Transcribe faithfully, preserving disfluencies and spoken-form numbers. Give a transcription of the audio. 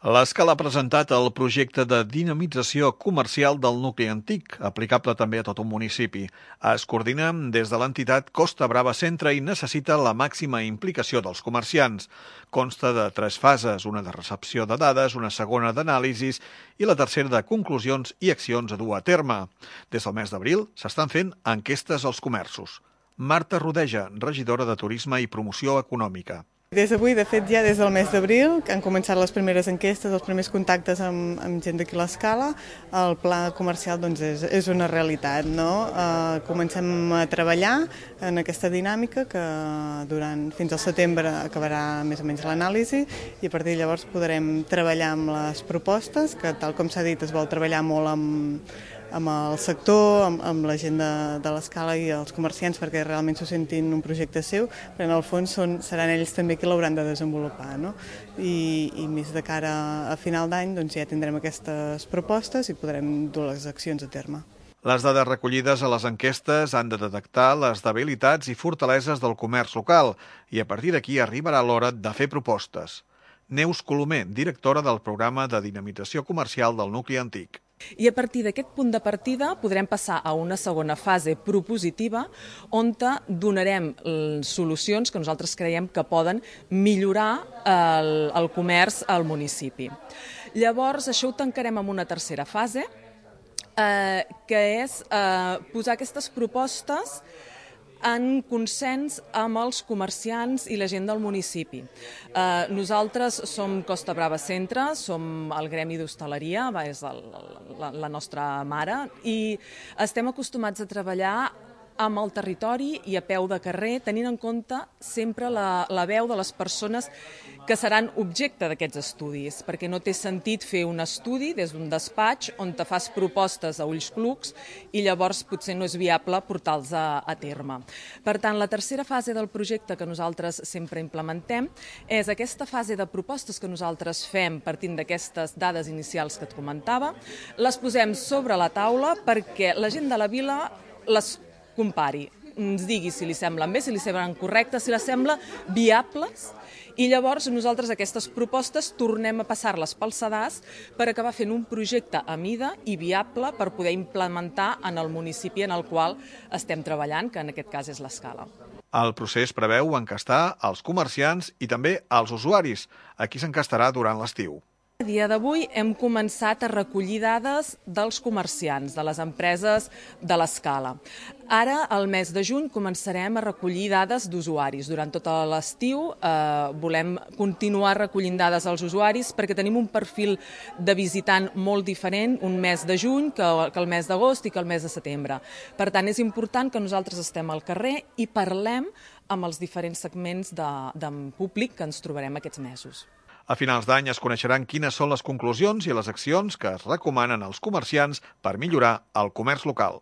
L'Escala ha presentat el projecte de dinamització comercial del nucli antic, aplicable també a tot un municipi. Es coordina des de l'entitat Costa Brava Centre i necessita la màxima implicació dels comerciants. Consta de tres fases, una de recepció de dades, una segona d'anàlisis i la tercera de conclusions i accions a dur a terme. Des del mes d'abril s'estan fent enquestes als comerços. Marta Rodeja, regidora de Turisme i Promoció Econòmica. Des d'avui, de fet, ja des del mes d'abril, que han començat les primeres enquestes, els primers contactes amb, amb gent d'aquí a l'Escala, el pla comercial doncs, és, és una realitat. No? Eh, comencem a treballar en aquesta dinàmica que durant fins al setembre acabarà més o menys l'anàlisi i a partir de llavors podrem treballar amb les propostes, que tal com s'ha dit es vol treballar molt amb amb el sector, amb, amb la gent de, de l'Escala i els comerciants perquè realment s'ho sentin un projecte seu, però en el fons són, seran ells també qui l'hauran de desenvolupar. No? I, I més de cara a final d'any doncs ja tindrem aquestes propostes i podrem dur les accions a terme. Les dades recollides a les enquestes han de detectar les debilitats i fortaleses del comerç local i a partir d'aquí arribarà l'hora de fer propostes. Neus Colomer, directora del programa de dinamització comercial del nucli antic. I a partir d'aquest punt de partida podrem passar a una segona fase propositiva on donarem solucions que nosaltres creiem que poden millorar el, el comerç al municipi. Llavors, això ho tancarem amb una tercera fase, eh, que és eh, posar aquestes propostes en consens amb els comerciants i la gent del municipi. Eh, nosaltres som Costa Brava Centre, som el gremi d'hostaleria, és el, la, la nostra mare, i estem acostumats a treballar amb el territori i a peu de carrer, tenint en compte sempre la, la veu de les persones que seran objecte d'aquests estudis, perquè no té sentit fer un estudi des d'un despatx on te fas propostes a ulls clucs i llavors potser no és viable portar-los a, a terme. Per tant, la tercera fase del projecte que nosaltres sempre implementem és aquesta fase de propostes que nosaltres fem partint d'aquestes dades inicials que et comentava, les posem sobre la taula perquè la gent de la vila les compari, ens digui si li semblen bé, si li semblen correctes, si les sembla viables, i llavors nosaltres aquestes propostes tornem a passar-les pel sedàs per acabar fent un projecte a mida i viable per poder implementar en el municipi en el qual estem treballant, que en aquest cas és l'Escala. El procés preveu encastar els comerciants i també els usuaris, a qui s'encastarà durant l'estiu. A dia d'avui hem començat a recollir dades dels comerciants, de les empreses de l'Escala. Ara, al mes de juny, començarem a recollir dades d'usuaris. Durant tot l'estiu eh, volem continuar recollint dades als usuaris perquè tenim un perfil de visitant molt diferent un mes de juny que, que el mes d'agost i que el mes de setembre. Per tant, és important que nosaltres estem al carrer i parlem amb els diferents segments de, de públic que ens trobarem aquests mesos. A finals d'any es coneixeran quines són les conclusions i les accions que es recomanen als comerciants per millorar el comerç local.